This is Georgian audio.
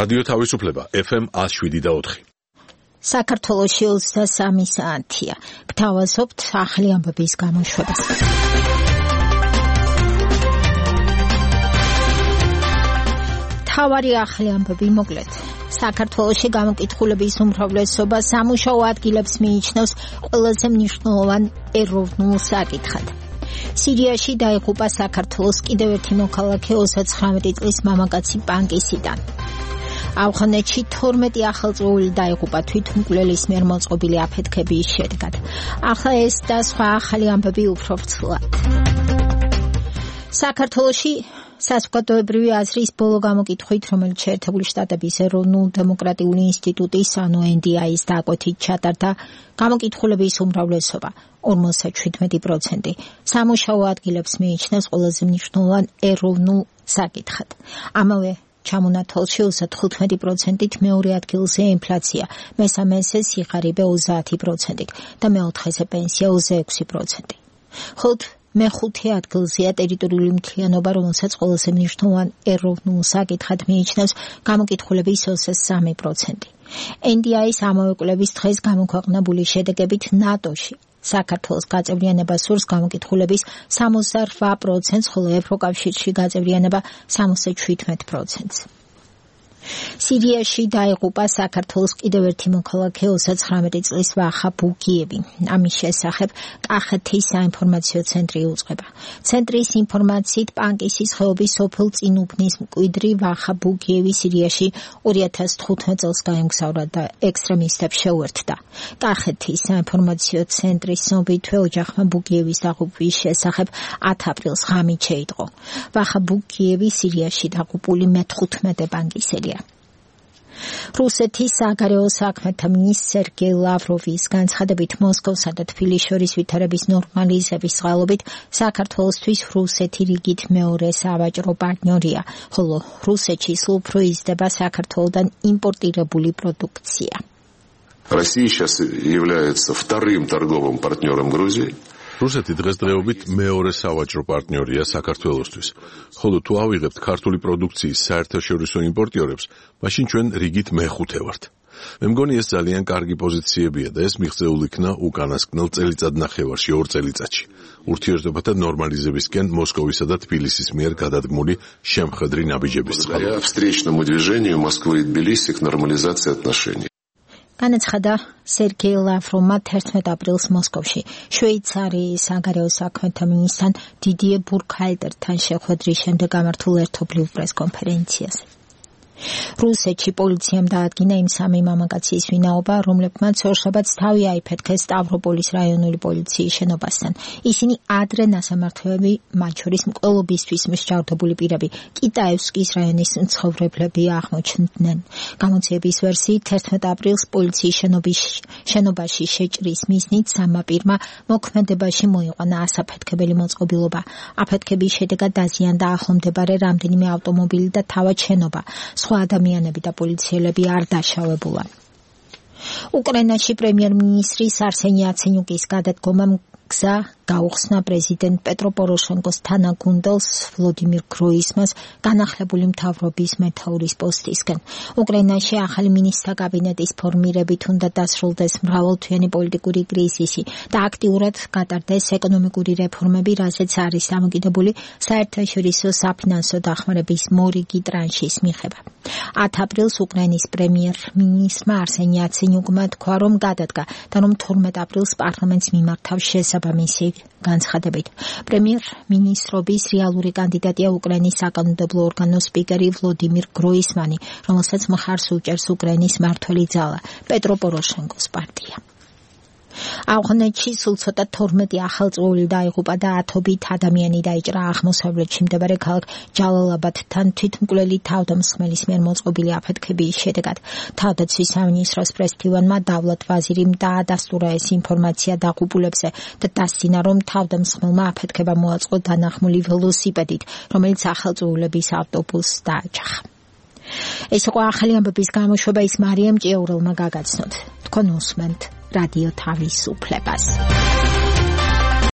რადიო თავისუფლება FM 107.4. საქართველოში 23 საათია. გთავაზობთ ახალი ამბების გამოშვებას. თავარი ახალი ამბები მოკლედ. საქართველოში გამოკითხულების უმრავლესობა სამუშაო ადგილებს მიიჩნევს ყველაზე მნიშვნელოვან ეროვნულ საკითხად. სირიაში დაიღუპა საქართველოს კიდევ ერთი მოქალაქე 39 წლის მამაკაცი პანკისიდან. ავღანეთში 12 ახალწეული დაიღუპა თვითმკვლელის მიერ მოწყობილი აფეთქების შედეგად. ახლა ეს და სხვა ახალი ამბები უფრო ვრცლად. საქართველოში საზოგადოებრივი აზრის ბოლო გამოკითხვით, რომელიც შეერთებული შტატების ეროვნულ-დემოკრატიული ინსტიტუტის ანუ NDI-ის დაკვეთით ჩატარდა, გამოკითხულების უმრავლესობა 57% სამუშაო ადგილებს მიიჩნევს ყველაზე მნიშვნელოვან ეროვნულ საკითხად. ამავე ჩამონათვალში 35%-ით მეორე ადგილზე ინფლაცია, მესამეზე სიღარიბე 30% და მეოთხეზე პენსია 26%. ხოლო მეხუთე ადგილზეა ტერიტორიული მთლიანობა, რომელსაც ყველაზე მნიშვნელოვან ეროვნულ საკითხად მიიჩნევს გამოკითხულების 23%. NDI-ის ამავე კვლევის დღეს გამოქვეყნებული შედეგებით ნატოში საქართველოს გაწევრიანება სურს გამოკითხულების 68%, ხოლო ევროკავშირში გაწევრიანება 77%. სირიაში დაიღუპა საქართველოს კიდევ ერთი მოქალაქე 39 წლის ვახა ბუგიევი. ამის შესახებ კახეთის საინფორმაციო ცენტრი უწყება. ცენტრის ინფორმაციით პანკისის ხეობის სოფელ წინუბნის მკვიდრი ვახა ბუგიევი სირიაში 2015 წელს გაემგზავრა და ექსტრემისტებს შეუერთდა. კახეთის საინფორმაციო ცენტრის ცნობით ოჯახმა ბუგიევის დაღუპვის შესახებ 10 აპრილს ღამით შეიტყო. ვახა ბუგიევი სირიაში დაღუპული მე-15 პანკისელია. რუსეთის საგარეო საქმეთა მინისტრ სერგეი ლავროვის განცხადებით მოსკოვსა და თბილისის შორის ვითარების ნორმალიზების წყალობით საქართველოსთვის რუსეთი რიგით მეორე სავაჭრო პარტნიორია, ხოლო რუსეთში სულ უფრო იზრდება საქართველოდან იმპორტირებული პროდუქცია. Россия сейчас является вторым торговым партнером Грузии. რუსეთი დღესდღეობით მეორე სავაჭრო პარტნიორია საქართველოსთვის. ხოლო თუ ავიღებთ ქართული პროდუქციის საერთაშორისო იმპორტიორებს, მაშინ ჩვენ რიგით მეხუთე ვართ. მე მგონი ეს ძალიან კარგი პოზიციებია და ეს მიღწეულ იქნა უკანასკნელ წელიწადნახევარში 2 წელიწადში. ურთიერთობათა ნორმალიზებისკენ მოსკოვისა და თბილისის მიერ გადადგმული შემხედრი ნაბიჯების წყალობით. Встречному движению Москвы и Тбилиси к нормализации отношений. განაცხადა სერგეი ლავროვმა 11 აპრილს მოსკოვში შვეიცარიის საგარეო საქმეთა მინისტრთან დიდიე ბურქჰალტერთან შეხვედრის შემდეგ გამართულ ერთობლივ პრესკონფერენციაზე. რუსეთში პოლიციამ დაადგინა იმ სამი მამაკაცის ვინაობა, რომლებმაც ორშაბათს თავი აიფეთქეს სტავროპოლის რაიონული პოლიციის შენობასთან. ისინი ადრე ნასამართლოები, მათ შორის მკვლელობისთვის მსჯავრდებული პირები, კიტაევსკის რაიონის მცხოვრებლები აღმოჩნდნენ. გამოძიების ვერსიით 11 აპრილს პოლიციის შენობაში შეჭრის მიზნით სამმა პირმა მოქმედებაში მოიყვანა ასაფეთქებელი მოწყობილობა. აფეთქების შედეგად დაზიანდა ახლომდებარე რამდენიმე ავტომობილი და თავად შენობა. სხვა ადამიანები და პოლიციელები არ დაშავებულა. უკრაინაში პრემიერ-მინისტრის არსენი იაცენიუკის გადადგომამ გზა გაუხსნა პრეზიდენტ პეტრო პოროშენკოს თანაგუნდელს ვლოდიმირ გროისმანს განახლებული მთავრობის მეთაურის პოსტისგან. უკრაინაში ახალი მინისტრთა კაბინეტის ფორმირებით უნდა დასრულდეს მრავალთვიანი პოლიტიკური კრიზისი და აქტიურად გატარდეს ეკონომიკური რეფორმები, რასაც არის დამოკიდებული საერთაშორისო საფინანსო დახმარების მორიგი ტრანშის მიღება. 10 აპრილს უკრაინის პრემიერ-მინისტრმა არსენი იაცენიუკმა თქვა, რომ გადადგა და რომ 12 აპრილს პარლამენტს მიმართავს შესაბამისი განცხადებით. პრემიერ-მინისტრობის რეალური კანდიდატია უკრაინის საკანონმდებლო ორგანოს სპიკერი ვლოდიმირ გროისმანი, რომელსაც მხარს უჭერს უკრაინის მმართველი ძალა, პეტრო პოროშენკოს პარტია. ავღანეთში სულ ცოტა 12 ახალწეული დაიღუპა და ათობით ადამიანი დაიჭრა აღმოსავლეთში მდებარე ქალაქ ჯალალაბადთან თვითმკვლელი თავდამსხმელის მიერ მოწყობილი აფეთქების შედეგად. თავდაცვის სამინისტროს პრესდივანმა დავლათ ვაზირიმ დაადასტურა ეს ინფორმაცია დაღუპულებზე და დასცინა, რომ თავდამსხმელმა აფეთქება მოაწყო დანახმული ველოსიპედით, რომელიც ახალწეულების ავტობუსს დააჯახა. ეს იყო ახალი ამბების გამოშვება, ის მარიამ ჭიაურელმა გაგაცნოთ. თქვენ უსმენთ რადიო თავისუფლებას.